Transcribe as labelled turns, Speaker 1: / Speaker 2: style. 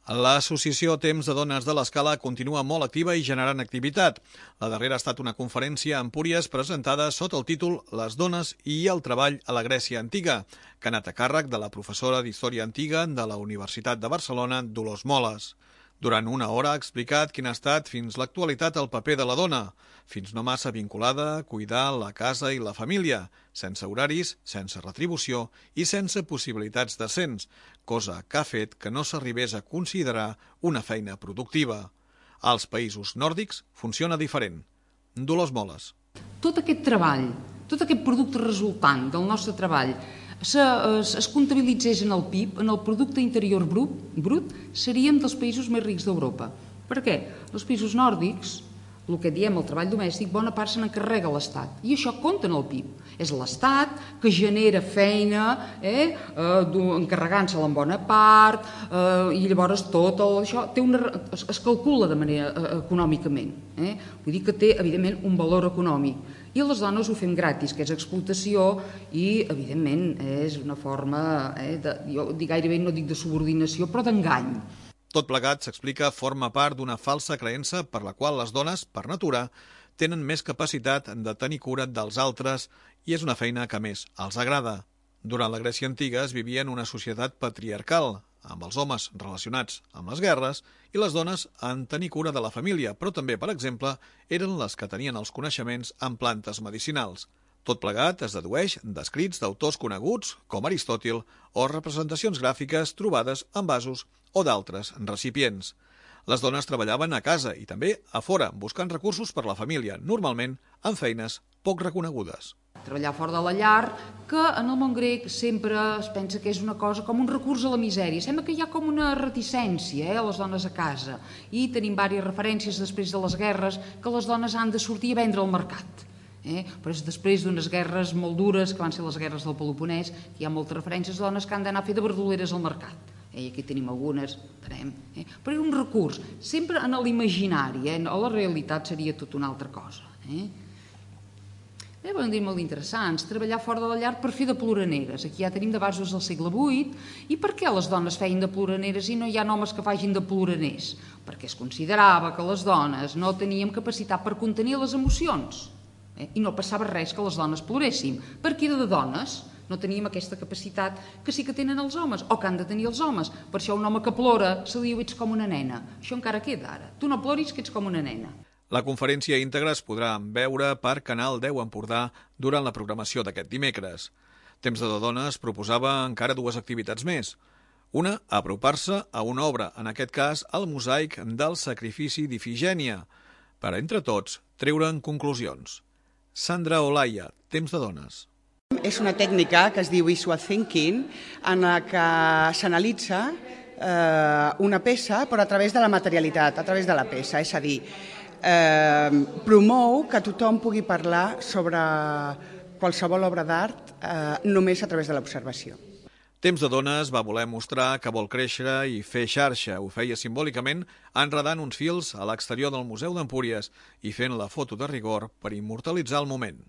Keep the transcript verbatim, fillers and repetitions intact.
Speaker 1: L'associació Temps de Dones de l'Escala continua molt activa i generant activitat. La darrera ha estat una conferència a Empúries presentada sota el títol Les dones i el treball a la Grècia Antiga, que ha anat a càrrec de la professora d'Història Antiga de la Universitat de Barcelona, Dolors Moles. Durant una hora ha explicat quin ha estat fins l'actualitat el paper de la dona, fins no massa vinculada a cuidar la casa i la família, sense horaris, sense retribució i sense possibilitats d'ascens, cosa que ha fet que no s'arribés a considerar una feina productiva. Als països nòrdics funciona diferent. Dolors Moles.
Speaker 2: Tot aquest treball, tot aquest producte resultant del nostre treball, Se, es, es comptabilitzés en el P I B, en el producte interior brut, brut, seríem dels països més rics d'Europa. Per què? Els països nòrdics, el que diem el treball domèstic, bona part se n'encarrega l'Estat. I això compta en el P I B. És l'Estat que genera feina, eh, eh, encarregant-se-la en bona part, eh, i llavors tot el, això té una, es, es calcula de manera eh, econòmicament. Eh? Vull dir que té, evidentment, un valor econòmic. I les dones ho fem gratis, que és explotació i, evidentment, és una forma, eh, de, jo gairebé no dic de subordinació, però d'engany.
Speaker 1: Tot plegat, s'explica, forma part d'una falsa creença per la qual les dones, per natura, tenen més capacitat de tenir cura dels altres i és una feina que més els agrada. Durant la Grècia Antiga es vivia en una societat patriarcal, amb els homes relacionats amb les guerres i les dones en tenir cura de la família, però també, per exemple, eren les que tenien els coneixements en plantes medicinals. Tot plegat es dedueix d'escrits d'autors coneguts, com Aristòtil, o representacions gràfiques trobades en vasos o d'altres recipients. Les dones treballaven a casa i també a fora, buscant recursos per la família, normalment en feines poc reconegudes.
Speaker 2: Treballar fora de la llar, que en el món grec sempre es pensa que és una cosa com un recurs a la misèria. Sembla que hi ha com una reticència eh, a les dones a casa. I tenim diverses referències després de les guerres que les dones han de sortir a vendre al mercat. Eh? Però és després d'unes guerres molt dures, que van ser les guerres del Peloponès, que hi ha moltes referències de dones que han d'anar a fer de verduleres al mercat. Eh? I aquí tenim algunes, tenem, eh? Però era un recurs, sempre en l'imaginari, eh? A la realitat seria tot una altra cosa. Eh? Bé, podem dir molt interessants, treballar fora de la llar per fer de ploraneres. Aquí ja tenim de bases del segle vuit. I per què les dones feien de ploraneres i no hi ha homes que facin de ploraners? Perquè es considerava que les dones no teníem capacitat per contenir les emocions. Eh? I no passava res que les dones ploréssim, perquè era de dones. No teníem aquesta capacitat que sí que tenen els homes, o que han de tenir els homes. Per això un home que plora se li diu ets com una nena. Això encara queda ara. Tu no ploris que ets com una nena.
Speaker 1: La conferència íntegra es podrà veure per Canal deu Empordà durant la programació d'aquest dimecres. Temps de Dones proposava encara dues activitats més. Una, apropar-se a una obra, en aquest cas el mosaic del sacrifici d'Ifigènia, per entre tots treure'n conclusions. Sandra Olaya, Temps de Dones.
Speaker 3: És una tècnica que es diu visual thinking, en la que s'analitza eh, una peça però a través de la materialitat, a través de la peça, és a dir, Eh, promou que tothom pugui parlar sobre qualsevol obra d'art eh, només a través de l'observació.
Speaker 1: Temps de Dones va voler mostrar que vol créixer i fer xarxa. Ho feia simbòlicament enredant uns fils a l'exterior del Museu d'Empúries i fent la foto de rigor per immortalitzar el moment.